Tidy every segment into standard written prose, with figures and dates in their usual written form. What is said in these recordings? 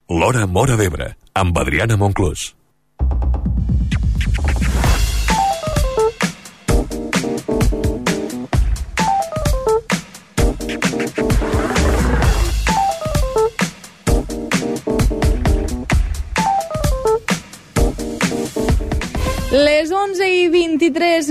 L'Hora Móra d'Ebre, amb Adriana Monclús. Les 11:23,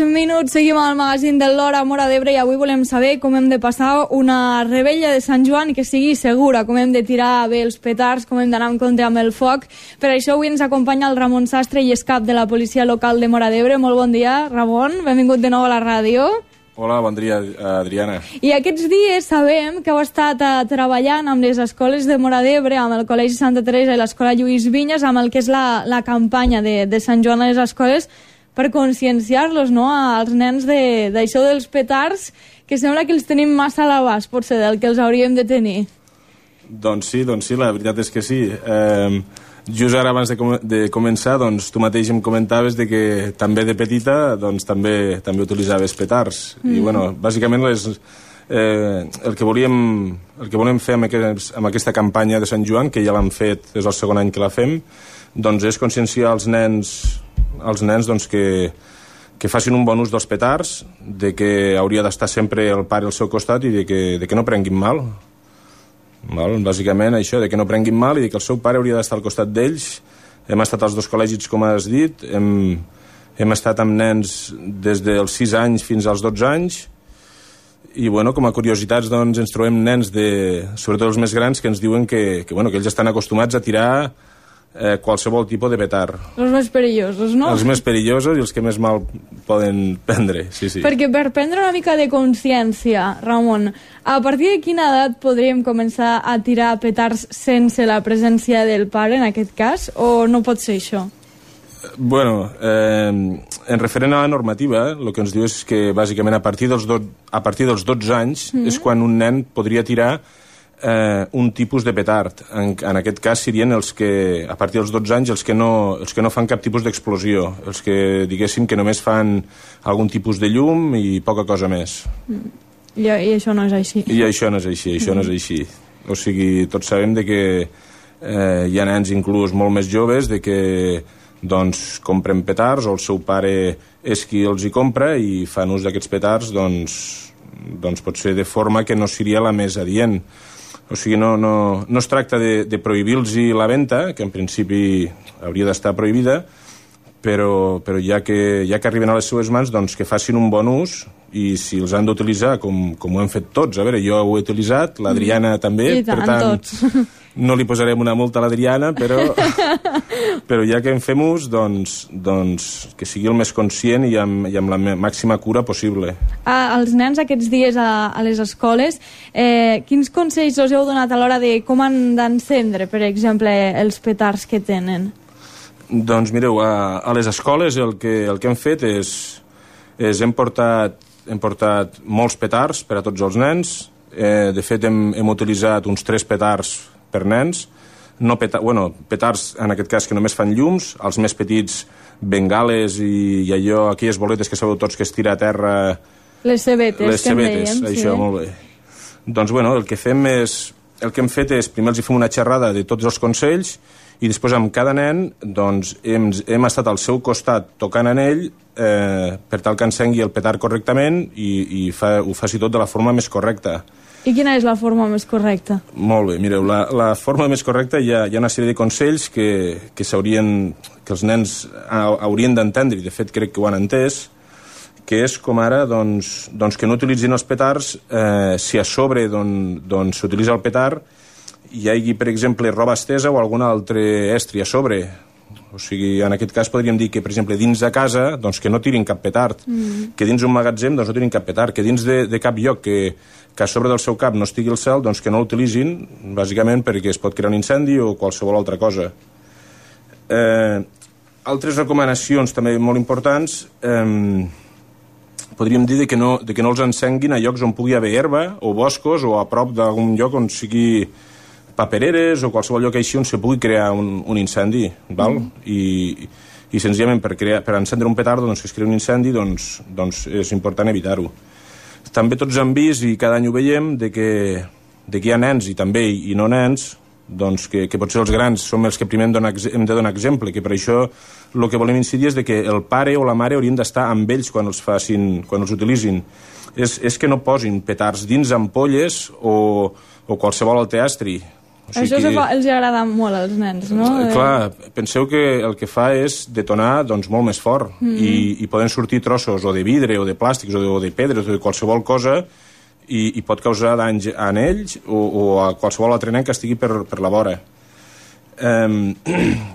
seguim al magazín de l'Hora Móra d'Ebre i avui volem saber com hem de passar una rebella de Sant Joan que sigui segura, com hem de tirar bé els petards, com hem d'anar en compte amb el foc. Per això avui ens acompanya el Ramon Sastre i és cap de la policia local de Móra d'Ebre. Molt bon dia, Ramon, benvingut de nou a la ràdio. Hola, bon dia, Adriana. I aquests dies sabem que heu estat treballant amb les escoles de Móra d'Ebre, amb el Col·legi Santa Teresa i l'Escola Lluís Vinyes, amb el que és la campanya de Sant Joan a les escoles, per conscienciar-los, no?, als nens d'això dels petards, que sembla que els tenim massa a l'abast, potser, del que els hauríem de tenir. Doncs sí, la veritat és que sí. Just ara, abans de començar, doncs, tu mateix em comentaves de que també de petita doncs, també utilitzaves petards. I, bueno, bàsicament el que volem fer amb aquesta campanya de Sant Joan, que ja l'hem fet, és el segon any que la fem, doncs és conscienciar els nens doncs, que facin un bon ús dels petards, de que hauria d'estar sempre el pare al seu costat i de que no prenguin mal. Bàsicament això, de que no prenguin mal i de que el seu pare hauria d'estar al costat d'ells. Hem estat als dos col·legis, com has dit, hem estat amb nens des dels 6 anys fins als 12 anys i, bueno, com a curiositats, doncs, ens trobem nens, sobretot els més grans, que ens diuen que ells estan acostumats a tirar qualsevol tipus de petard. Els més perillosos, no? Els més perillosos i els que més mal poden prendre, sí. Perquè per prendre una mica de consciència, Ramon, a partir de quina edat podríem començar a tirar petards sense la presència del pare, en aquest cas, o no pot ser això? Bueno, en referent a la normativa, el que ens diu és que bàsicament a partir dels 12 anys és quan un nen podria tirar un tipus de petard. En aquest cas serien els que, a partir dels 12 anys, els que no fan cap tipus d'explosió, els que, diguéssim, que només fan algun tipus de llum i poca cosa més. I això no és així. I això no és així. O sigui, tots sabem de que hi ha nens inclús molt més joves de que doncs compren petards o el seu pare és qui els hi compra i fan ús d'aquests petards doncs potser de forma que no seria la més adient. O sigui, no es tracta de prohibir-los la venda, que en principi hauria d'estar prohibida, però ja que arriben a les seues mans, doncs que facin un bon ús i si els han d'utilitzar, com ho hem fet tots, a veure, jo ho he utilitzat, l'Adriana també, i tant, per tant, tots. No li posarem una multa a l'Adriana, però ja que en fem ús, doncs que sigui el més conscient i amb la màxima cura possible. Els nens aquests dies a les escoles, quins consells us heu donat a l'hora de com han d'encendre, per exemple, els petards que tenen? Doncs mireu, a les escoles el que hem fet és hem portat molts petards per a tots els nens. De fet, hem utilitzat uns 3 petards per nens, petards en aquest cas que només fan llums, els més petits bengales i aquelles boletes que sabeu tots que es tira a terra, les cebetes que en dèiem, això, sí. Molt bé. Doncs el que hem fet és primer els fem una xerrada de tots els consells i després amb cada nen doncs hem estat al seu costat tocant en ell per tal que encengui el petard correctament i ho faci tot de la forma més correcta. I quina és la forma més correcta? Molt bé, mireu, la forma més correcta hi ha una sèrie de consells que els nens haurien d'entendre, i de fet crec que ho han entès, que és com ara doncs, que no utilitzin els petards si a sobre s'utilitza el petard hi hagi, per exemple, roba estesa o algun altre estri a sobre. O sigui, en aquest cas podríem dir que, per exemple, dins de casa, doncs que no tirin cap petard, que dins un magatzem doncs no tirin cap petard, que dins de cap lloc que a sobre del seu cap no estigui el cel, doncs que no l'utilitzin, bàsicament perquè es pot crear un incendi o qualsevol altra cosa. Altres recomanacions també molt importants, podríem dir que no els encenguin a llocs on pugui haver herba o boscos o a prop d'algun lloc on sigui papereres o qualsevol lloc així on se pugui crear un incendi, val? I senzillament per encendre un petard que es crea un incendi, doncs és important evitar-ho. També tots hem vist, i cada any ho veiem, de que hi ha nens i també i no nens que potser els grans som els que primer hem de donar exemple, que per això el que volem incidir és de que el pare o la mare haurien d'estar amb ells quan els utilitzin. És que no posin petards dins ampolles o qualsevol altre astri. Això els agrada molt als nens, no? Clar, penseu que el que fa és detonar molt més fort i poden sortir trossos o de vidre o de plàstics o de pedres o de qualsevol cosa i pot causar danys a ells o a qualsevol altre nen que estigui per la vora.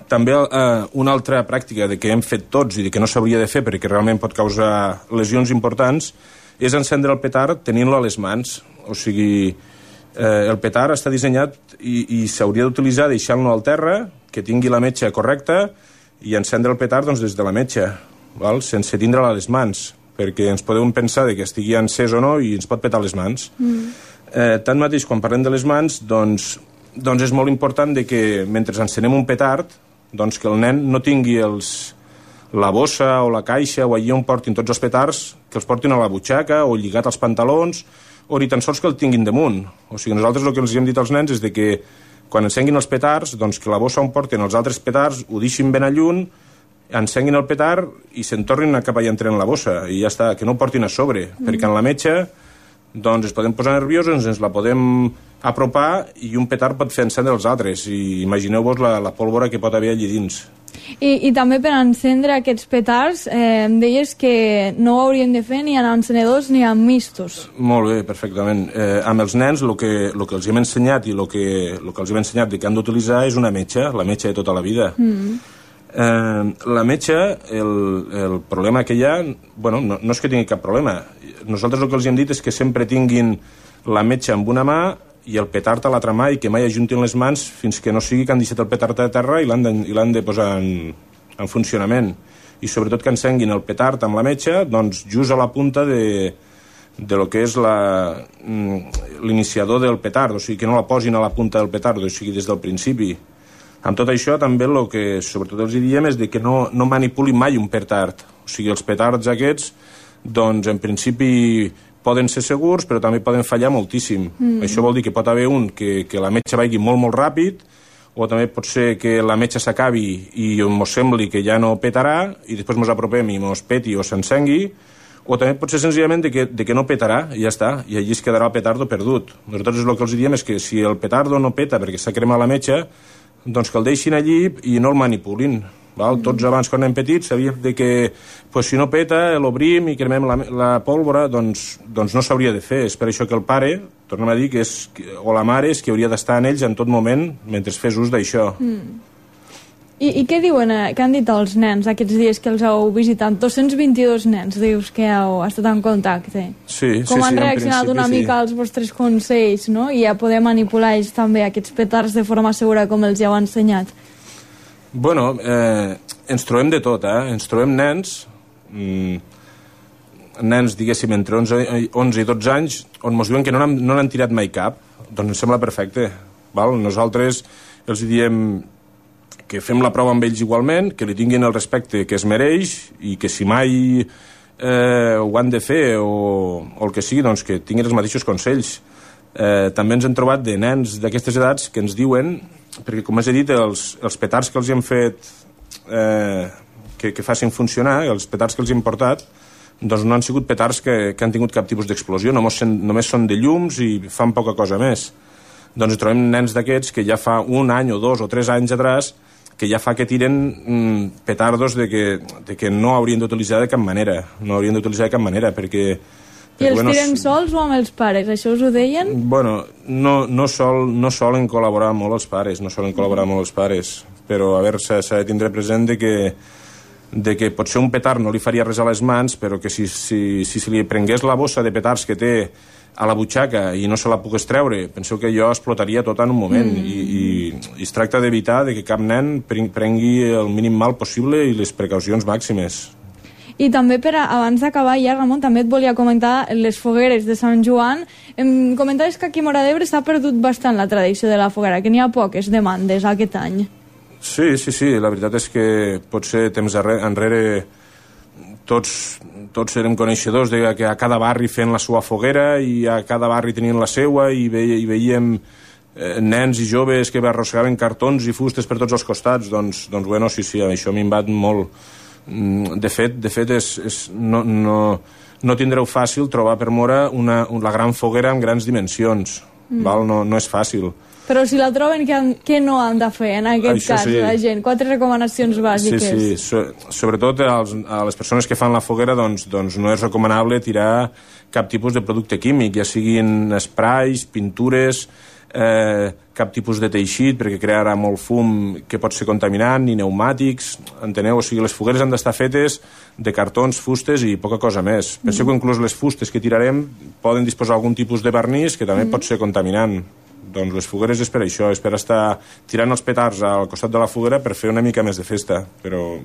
També una altra pràctica que hem fet tots i que no s'hauria de fer perquè realment pot causar lesions importants és encendre el petard tenint-lo a les mans. O sigui, el petard està dissenyat i s'hauria d'utilitzar deixant-lo al terra, que tingui la metxa correcta i encendre el petard des de la metxa, sense tindre-la a les mans, perquè ens podem pensar que estigui encès o no i ens pot petar les mans. Tanmateix, quan parlem de les mans, doncs és molt important que mentre encenem un petard, que el nen no tingui la bossa o la caixa o allí on portin tots els petards, que els portin a la butxaca o lligat als pantalons o ni tan sols que el tinguin damunt. O sigui, nosaltres el que els hem dit als nens és que quan encenguin els petards, que la bossa on porten els altres petards ho deixin ben a lluny, encenguin el petard i se'n tornin cap allà entre en la bossa i ja està, que no ho portin a sobre, perquè en la metxa es podem posar nerviosos, ens la podem apropar i un petard pot fer encendre els altres i imagineu-vos la pólvora que pot haver allí dins. I també per encendre aquests petards em deies que no ho haurien de fer ni en encenedors ni en mistos. Molt bé, perfectament. Amb els nens el que els hem ensenyat i el que els hem ensenyat que han d'utilitzar és una metxa, la metxa de tota la vida. La metxa, el problema que hi ha, no és que tingui cap problema. Nosaltres el que els hem dit és que sempre tinguin la metxa amb una mà i el petard a l'altra mà i que mai ajuntin les mans fins que no sigui que han deixat el petard a terra i l'han de posar en funcionament. I sobretot que encenguin el petard amb la metxa just a la punta de lo que és l'iniciador del petard, o sigui que no la posin a la punta del petard, o sigui des del principi. Amb tot això també el que sobretot els diem és que no manipulin mai un petard. O sigui, els petards aquests en principi poden ser segurs, però també poden fallar moltíssim. Això vol dir que pot haver un que la metxa vagi molt, molt ràpid, o també pot ser que la metxa s'acabi i ens sembli que ja no petarà, i després ens apropem i ens peti o s'encengui, o també pot ser senzillament que no petarà, i ja està, i allí es quedarà el petardo perdut. Nosaltres el que els diem és que si el petardo no peta perquè s'ha cremat la metxa, que el deixin allí i no el manipulin. Tots abans, quan anem petits, sabíem que si no peta, l'obrim i cremem la pólvora, doncs no s'hauria de fer. És per això que el pare, tornem a dir, o la mare és que hauria d'estar en ells en tot moment mentre fes ús d'això. I què diuen, què han dit els nens aquests dies que els heu visitat? 222 nens, dius que heu estat en contacte. Sí, com han reaccionat una mica als vostres consells, no? I a poder manipular ells també aquests petards de forma segura com els heu ensenyat? Bueno, ens trobem de tot, ens trobem nens, diguéssim, entre 11 i 12 anys, on ens diuen que no n'han tirat mai cap. Doncs ens sembla perfecte. Nosaltres els diem que fem la prova amb ells igualment, que li tinguin el respecte que es mereix i que si mai ho han de fer o el que sigui, doncs que tinguin els mateixos consells. També ens hem trobat de nens d'aquestes edats que ens diuen, perquè com us he dit, els petards que els hem fet que facin funcionar, els petards que els hem portat, doncs no han sigut petards que han tingut cap tipus d'explosió, només són de llums i fan poca cosa més. Doncs trobem nens d'aquests que ja fa un any o 2 o 3 anys atrás que ja fa que tiren petardos de que no haurien d'utilitzar de cap manera, perquè... I els tiren sols o amb els pares? Això us ho deien? Bueno, no solen col·laborar molt els pares, però a veure, s'ha de tindre present de que potser un petard no li faria res a les mans, però que si se li prengués la bossa de petards que té a la butxaca i no se la pogués treure, penseu que allò explotaria tot en un moment i es tracta d'evitar que cap nen prengui el mínim mal possible i les precaucions màximes. I també, abans d'acabar ja, Ramon, també et volia comentar les fogueres de Sant Joan. Em comentaves que aquí a Móra d'Ebre s'ha perdut bastant la tradició de la foguera, que n'hi ha poques demandes aquest any. Sí, la veritat és que potser temps enrere tots érem coneixedors de que a cada barri fent la seva foguera i a cada barri tenien la seua i veiem nens i joves que arrossegaven cartons i fustes per tots els costats, doncs bueno, sí, això m'hi bat molt. De fet no tindreu fàcil trobar per Móra la gran foguera amb grans dimensions, val? No és fàcil. Però si la troben, què no han de fer en aquest cas, la gent? 4 recomanacions bàsiques. Sí. Sobretot a les persones que fan la foguera, doncs no és recomanable tirar cap tipus de producte químic, ja siguin sprays, pintures, cap tipus de teixit, perquè crearà molt fum que pot ser contaminant, ni pneumàtics, enteneu? O sigui, les fogueres han d'estar fetes de cartons, fustes i poca cosa més. Penseu que inclús les fustes que tirarem poden disposar d'algun tipus de vernís que també pot ser contaminant. Doncs les fogueres és per això, és per estar tirant els petards al costat de la foguera per fer una mica més de festa, però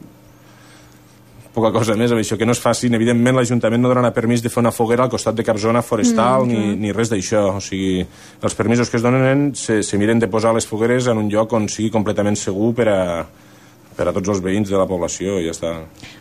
poca cosa més amb això, que no és fàcil. Evidentment l'Ajuntament no donarà permís de fer una foguera al costat de cap zona forestal ni res d'això. O sigui, els permisos que es donen se miren de posar les fogueres en un lloc on sigui completament segur per a tots els veïns de la població i ja està.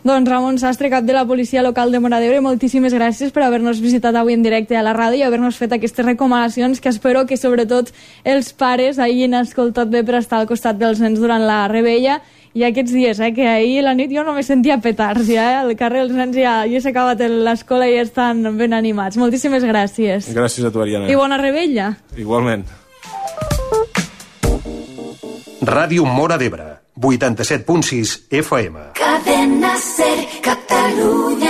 Doncs Ramon Sastre, cap de la Policia Local de Móra d'Ebre, moltíssimes gràcies per haver-nos visitat avui en directe a la ràdio i haver-nos fet aquestes recomanacions que espero que sobretot els pares hagin escoltat bé per estar al costat dels nens durant la rebella i aquests dies, que ahir a la nit jo només sentia petards, al carrer els nens ja s'ha acabat l'escola i ja estan ben animats. Moltíssimes gràcies. Gràcies a tu, Ariana. I bona rebella. Igualment. Ràdio Móra d'Ebre, 87.6 FM. Cadena Ser, Catalunya.